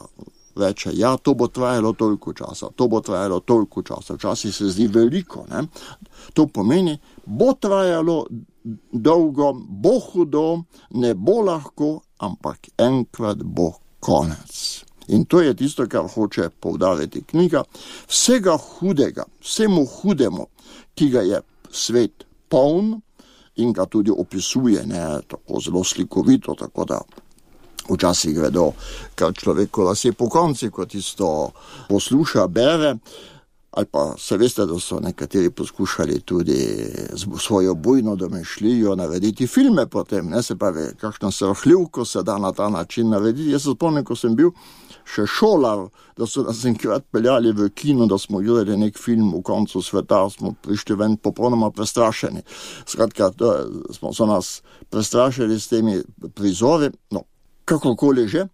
reče, ja, to bo trajalo toliko časa, to bo trajalo toliko časa, včasih se zdi veliko, ne? To pomeni, bo trajalo dolgo, bo hudo, ne bo lahko, ampak enkrat bo konec. In to je tisto, kar hoče poudariti knjiga. Vsega hudega, vsemu hudemu, ki ga je svet poln in ga tudi opisuje, ne tako zelo slikovito, tako da včasih gredo kar človeku lase po konci, ko tisto posluša, bere. Ali pa se veste, da so nekateri poskušali tudi svojo bujno domišljijo narediti filme potem, ne, se pravi, kakšno srhljivko se da na ta način narediti. Jaz se spomnim, ko sem bil še šolar, da so nas enkrat peljali v kino, da smo gledali nek film v koncu sveta, smo prišli ven popolnoma prestrašeni. Skratka, so nas prestrašili s temi prizori, no, kakorkoli že,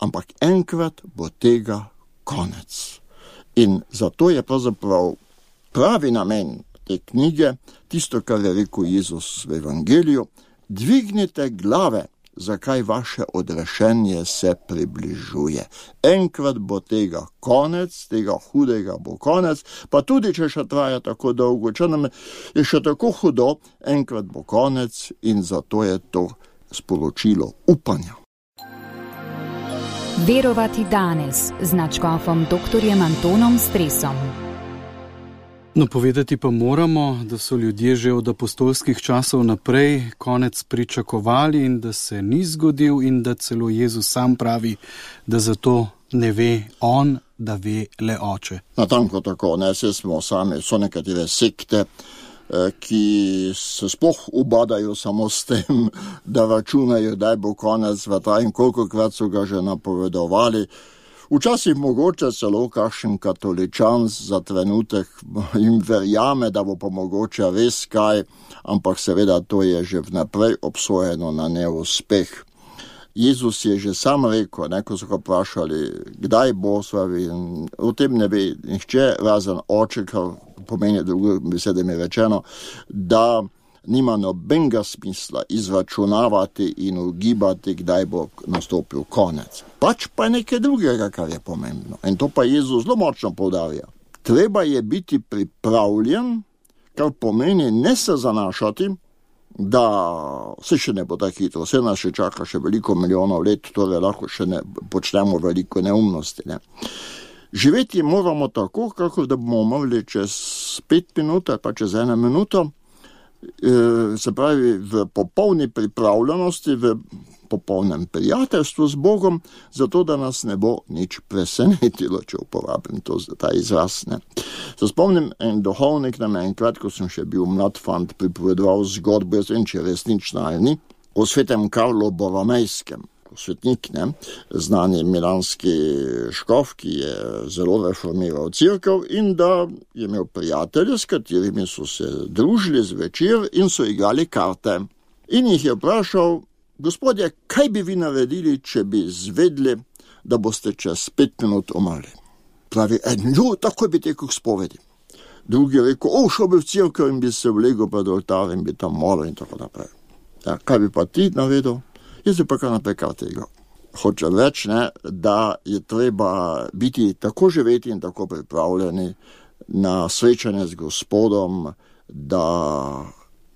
ampak enkrat bo tega konec. In zato je pravzaprav pravi namen te knjige, tisto, kar je rekel Jezus v Evangeliju, dvignite glave, zakaj vaše odrešenje se približuje. Enkrat bo tega konec, tega hudega bo konec, pa tudi, če še traja tako dolgo, če nam je še tako hudo, enkrat bo konec in zato je to sporočilo upanja. Verovati danes z nadškofom dr. Antonom Stresom. No, povedati pa moramo, da so ljudje že od apostolskih časov naprej konec pričakovali in da se ni zgodil in da celo Jezus sam pravi, da zato ne ve on, da ve le oče. Natanko tako, ne, so nekatere sekte, ki se sploh ubadajo samo s tem, da računajo, da bo konec sveta in kolikokrat so ga že napovedovali. Včasih mogoče celo kakšen katoličan za trenutek jim verjame, da bo pa mogoče res kaj, ampak seveda to je že vnaprej obsojeno na neuspeh. Jezus je že sam rekel, ko so ga vprašali, kdaj bo, o tem ne ve nihče, razen oče, kar pomeni drugo besedami rečeno, da nima nobenega smisla izračunavati in ugibati, kdaj bo nastopil konec. Pač pa nekaj drugega, kar je pomembno. In to pa Jezus zelo močno poudarja. Treba je biti pripravljen, kar pomeni ne se zanašati, da se še ne bo tako hitro, vse nas še čaka še veliko milijonov let, torej lahko še ne počnemo veliko neumnosti. Ne. Živeti moramo tako, kako da bomo umrli čez 5 minut, pa čez 1 minuto, se pravi v popolni pripravljenosti, v popolnem prijateljstvu z Bogom, zato da nas ne bo nič presenetilo, če uporabim ta izraz. Ne. Se spomnim, en duhovnik nam enkrat, ko sem še bil mlad fant, pripovedoval zgodbo, jaz vem, če resnična ali ni, o svetem Karlu Boromejskem, svetnik, ne, znani milanski škof, ki je zelo reformiral cerkev in da je imel prijatelje, s katerimi so se družili zvečer in so igrali karte. In jih je vprašal, gospodje, kaj bi vi naredili, če bi zvedli, da boste čez 5 minut umrli? Pravi, takoj bi tekel k spovedi. Drugi je rekel, šel bi v cerkev in bi se vlegel pred oltar in bi tam molil in tako naprej. Ja, kaj bi pa ti naredil? Jaz bi pa kar naprej karte igral. Hočem reči, da je treba biti tako živeti in tako pripravljeni na srečanje z Gospodom, da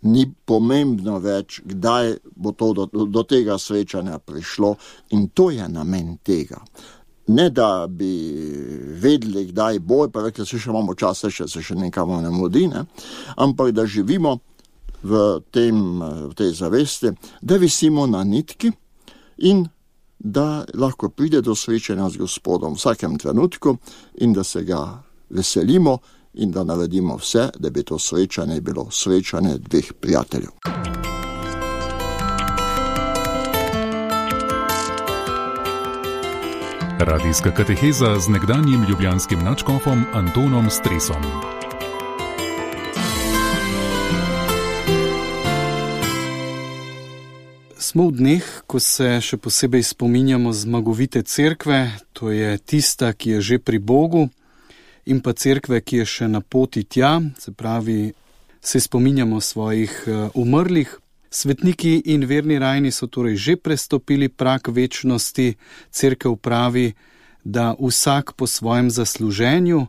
ni pomembno več, kdaj bo to do tega srečanja prišlo in to je namen tega. Ne da bi vedeli, kdaj bo, pa rekli, se še imamo čas, se še nekamo ne mudi, ne? Ampak da živimo v tej zavesti, da visimo na nitki in da lahko pride do srečanja z Gospodom v vsakem trenutku in da se ga veselimo in da naredimo vse, da bi to srečanje bilo srečanje dveh prijateljev. Radijska kateheza z nekdanjim ljubljanskim nadškofom Antonom Stresom. Smo v dneh, ko se še posebej spominjamo zmagovite cerkve, to je tista, ki je že pri Bogu, in pa cerkve, ki je še na poti tja, se pravi, se spominjamo svojih umrlih. Svetniki in verni rajni so torej že prestopili prag večnosti, cerkev pravi, da vsak po svojem zasluženju.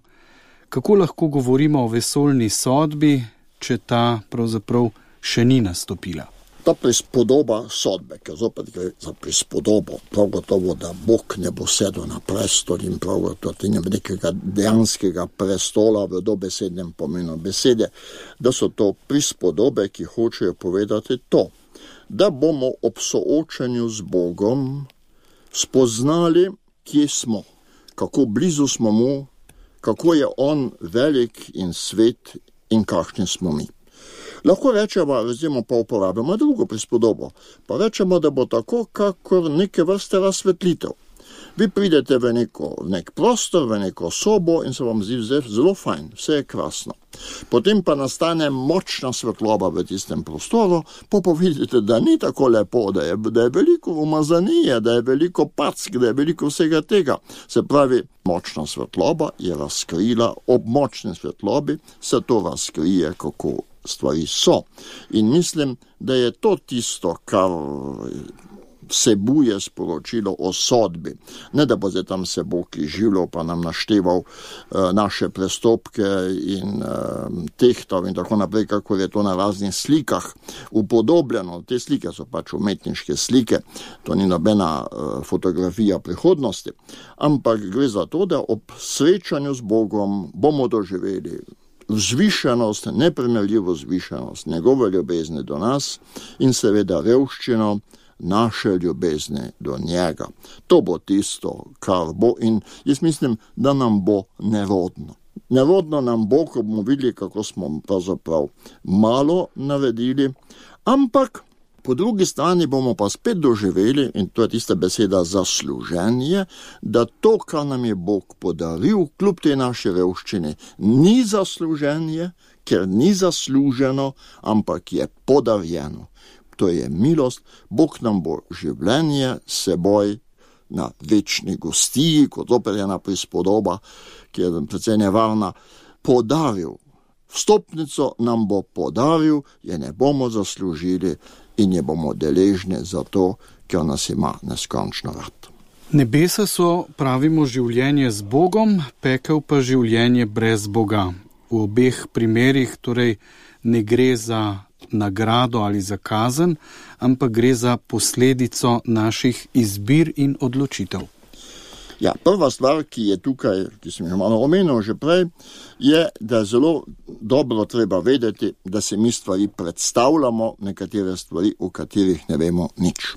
Kako lahko govorimo o vesoljni sodbi, če ta pravzaprav še ni nastopila? Ta prispodoba sodbe, ker zopet gre za prispodobo, prav gotovo, da Bog ne bo sedel na prestol in prav gotovo, da ni nekega dejanskega prestola v dobesednem pomenu besede, da so to prispodobe, ki hočejo povedati to, da bomo ob soočanju z Bogom spoznali, kje smo, kako blizu smo mu, kako je on velik in svet in kakšni smo mi. Lahko rečemo, recimo pa uporabljamo drugo prispodobo, pa rečemo, da bo tako, kakor neke vrste razsvetlitev. Vi pridete v nek prostor, v neko sobo in se vam zdi zelo fajn, vse je krasno. Potem pa nastane močna svetloba v tistem prostoru, pa vidite, da ni tako lepo, da je veliko umazanije, da je veliko pack, da je veliko vsega tega. Se pravi, močna svetloba je razkrila, ob močni svetlobi se to razkrije, kako stvari so. In mislim, da je to tisto, kar vsebuje sporočilo o sodbi. Ne da bo zdaj tam se Bog izživljal, pa nam našteval naše prestopke in tehtal in tako naprej, kako je to na raznih slikah upodobljeno. Te slike so pač umetniške slike, to ni nobena fotografija prihodnosti, ampak gre za to, da ob srečanju z Bogom bomo doživeli vzvišenost, neprimerljivo vzvišenost njegove ljubezni do nas in seveda revščino naše ljubezni do njega. To bo tisto, kar bo, in jaz mislim, da nam bo nerodno. Nerodno nam bo, ko bomo videli, kako smo pravzaprav malo naredili, ampak po drugi strani bomo pa spet doživeli, in to je tista beseda zasluženje, da to, kar nam je Bog podaril, kljub tej naši revščini, ni zasluženje, ker ni zasluženo, ampak je podarjeno. To je milost, Bog nam bo življenje seboj na večni gostiji, kot opet ena prispodoba, ki je precej nevarna, podaril. Vstopnico nam bo podaril, je ne bomo zaslužili in je bomo deležni za to, ker nas ima neskončno rad. Nebesa so, pravimo, življenje z Bogom, pekel pa življenje brez Boga. V obeh primerih torej ne gre za nagrado ali za kazen, ampak gre za posledico naših izbir in odločitev. Ja, prva stvar, ki je tukaj, ki sem jo malo omenil že prej, je, da je zelo dobro treba vedeti, da se mi stvari predstavljamo, nekatere stvari, o katerih ne vemo nič.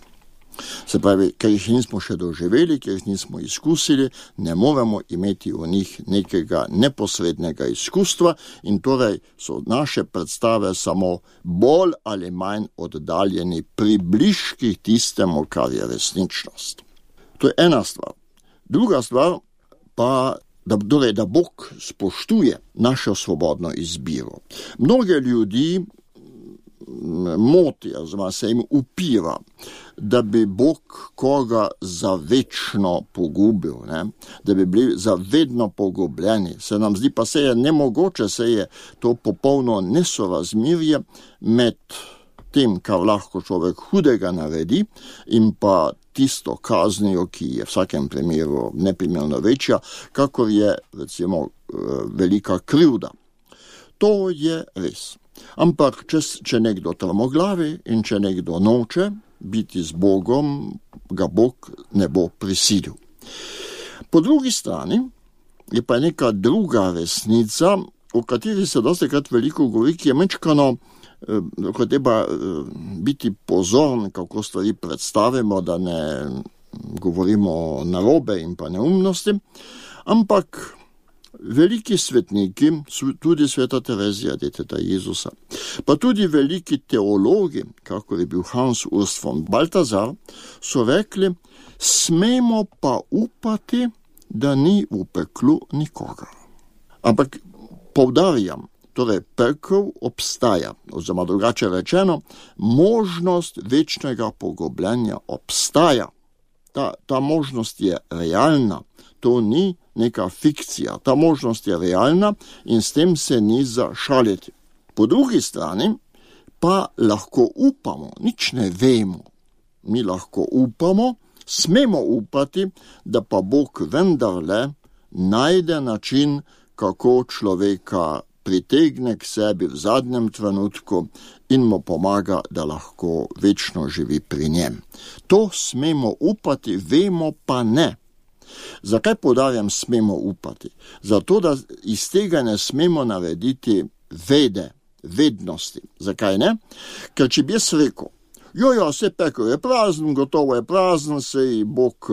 Se pravi, ker jih nismo še doživeli, ker jih nismo izkusili, ne moremo imeti v njih nekega neposrednega izkustva in torej so naše predstave samo bolj ali manj oddaljeni približki tistemu, kar je resničnost. To je ena stvar. Druga stvar pa, da Bog spoštuje našo svobodno izbiro. Mnoge ljudi moti, oziroma se jim upira, da bi Bog koga za večno pogubil, ne? Da bi bili za vedno pogubljeni. Se nam zdi pa se je nemogoče, se je to popolno nesorazmerje med tem, kar lahko človek hudega naredi in pa tisto kaznijo, ki je v vsakem primeru neprimerno večja, kakor je recimo velika krivda. To je res. Ampak če nekdo trmoglavi in če nekdo noče biti z Bogom, ga Bog ne bo prisilil. Po drugi strani je pa neka druga resnica, o kateri se dostikrat veliko govori, ki je mečkano, ko treba biti pozorn, kako stvari predstavimo, da ne govorimo narobe in pa neumnosti, ampak veliki svetniki, tudi sveta Terezija, deteta Jezusa, pa tudi veliki teologi, kako je bil Hans Urs von Balthasar, so rekli, smemo pa upati, da ni v peklu nikogar. Ampak poudarjam, torej pekel obstaja, oziroma drugače rečeno, možnost večnega pogubljenja obstaja. Ta možnost je realna, to ni neka fikcija, ta možnost je realna in s tem se ni za šaliti. Po drugi strani pa lahko upamo, nič ne vemo. Mi lahko upamo, smemo upati, da pa Bog vendarle najde način, kako človeka pritegne k sebi v zadnjem trenutku in mu pomaga, da lahko večno živi pri njem. To smemo upati, vemo pa ne. Zakaj poudarjam smemo upati? Zato, da iz tega ne smemo narediti vednosti. Zakaj ne? Ker če bi jaz rekel, vse pekel je prazen, gotovo je prazen, sej Bog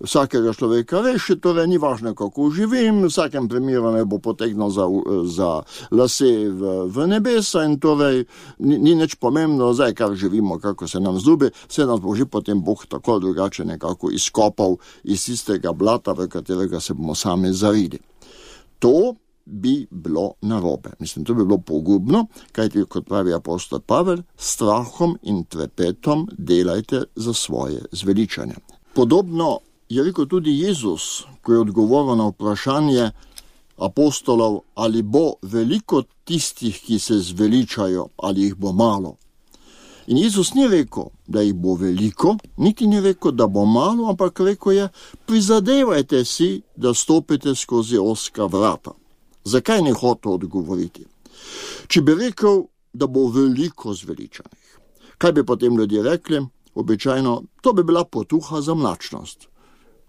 vsakega človeka reši, torej ni važno, kako živim, v vsakem primeru me bo potegnil za lase v nebesa in torej ni nič pomembno, zdaj kar živimo, kako se nam zljubi, se nas bo že potem Bog tako drugače nekako izkopal iz istega blata, v katerega se bomo sami zarili. To bi bilo narobe. Mislim, to bi bilo pogubno, kajti, kot pravi apostol Pavel, strahom in trepetom delajte za svoje zveličanje. Podobno je rekel tudi Jezus, ko je odgovoril na vprašanje apostolov, ali bo veliko tistih, ki se zveličajo, ali jih bo malo. In Jezus ni rekel, da jih bo veliko, niti ni rekel, da bo malo, ampak rekel je, prizadevajte si, da stopite skozi ozka vrata. Zakaj ne hotel odgovoriti? Če bi rekel, da bo veliko zveličanih, kaj bi potem ljudje rekli? Običajno, to bi bila potuha za mlačnost.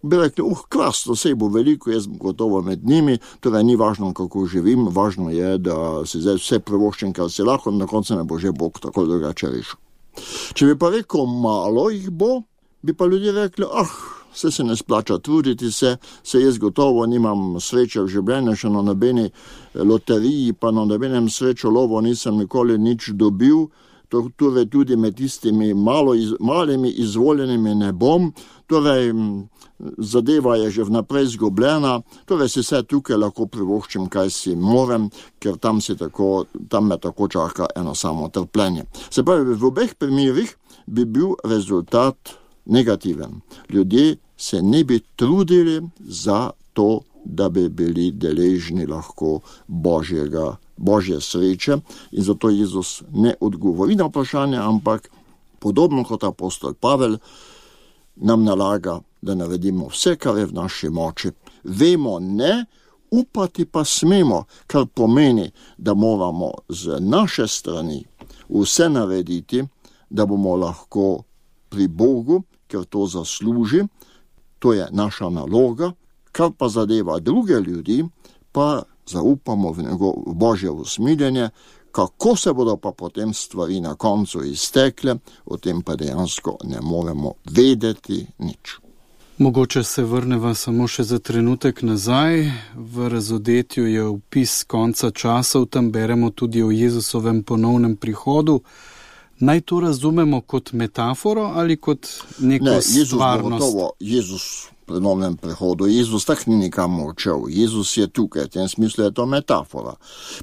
Bi rekli, krasno, sej bo veliko, jaz bom gotovo med njimi, torej ni važno, kako živim, važno je, da si zdaj vse privoščim, kar si lahko, in na koncu me bo že Bog tako drugače rešil. Če bi pa rekel, malo jih bo, bi pa ljudje rekli, vse se ne splača truditi se jaz gotovo nimam sreče v življenju, še na nobeni loteriji, pa na nobenem srečo lovo nisem nikoli nič dobil, torej tudi med tistimi malimi izvoljenimi ne bom, torej zadeva je že vnaprej zgubljena, torej si vse tukaj lahko privoščim, kaj si morem, ker tam me tako čaka eno samo trpljenje. Se pravi, v obeh primerih bi bil rezultat negativen. Ljudje se ne bi trudili za to, da bi bili deležni lahko Božje sreče in zato Jezus ne odgovori na vprašanje, ampak podobno kot apostol Pavel nam nalaga, da naredimo vse, kar je v naši moči. Vemo ne, upati pa smemo, kar pomeni, da moramo z naše strani vse narediti, da bomo lahko pri Bogu, ker to zasluži, to je naša naloga, kar pa zadeva druge ljudi, pa zaupamo v Božje usmiljenje, kako se bodo pa potem stvari na koncu iztekle, o tem pa dejansko ne moremo vedeti nič. Mogoče se vrneva samo še za trenutek nazaj. V razodetju je opis konca časov, tam beremo tudi o Jezusovem ponovnem prihodu. Naj to razumemo kot metaforo ali kot neko stvarnost? Jezus pri novem prihodu. Jezus tak ni nikam odšel. Jezus je tukaj, v tem smislu je to metafora.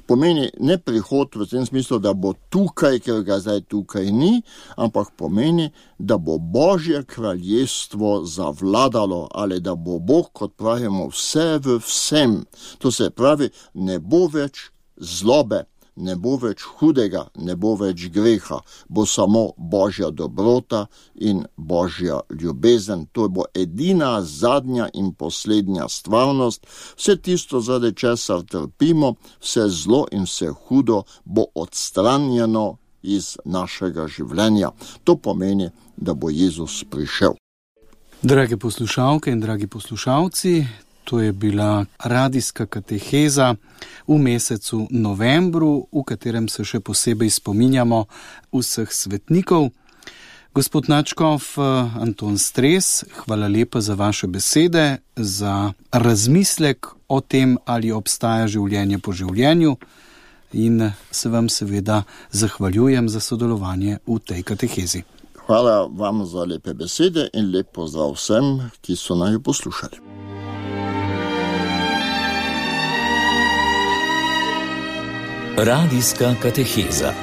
Pomeni ne prihod v tem smislu, da bo tukaj, ker ga zdaj tukaj ni, ampak pomeni, da bo Božje kraljestvo zavladalo ali da bo Bog, kot pravimo, vse v vsem. To se pravi, ne bo več zlobe, ne bo več hudega, ne bo več greha, bo samo Božja dobrota in Božja ljubezen. To bo edina, zadnja in poslednja stvarnost. Vse tisto, zaradi česar trpimo, vse zlo in vse hudo bo odstranjeno iz našega življenja. To pomeni, da bo Jezus prišel. Drage poslušalke in dragi poslušalci, to je bila radijska kateheza v mesecu novembru, v katerem se še posebej spominjamo vseh svetnikov. Gospod nadškof Anton Stres, hvala lepa za vaše besede, za razmislek o tem, ali obstaja življenje po življenju in se vam seveda zahvaljujem za sodelovanje v tej katehezi. Hvala vam za lepe besede in lep pozdrav vsem, ki so naju poslušali. Radijska kateheza.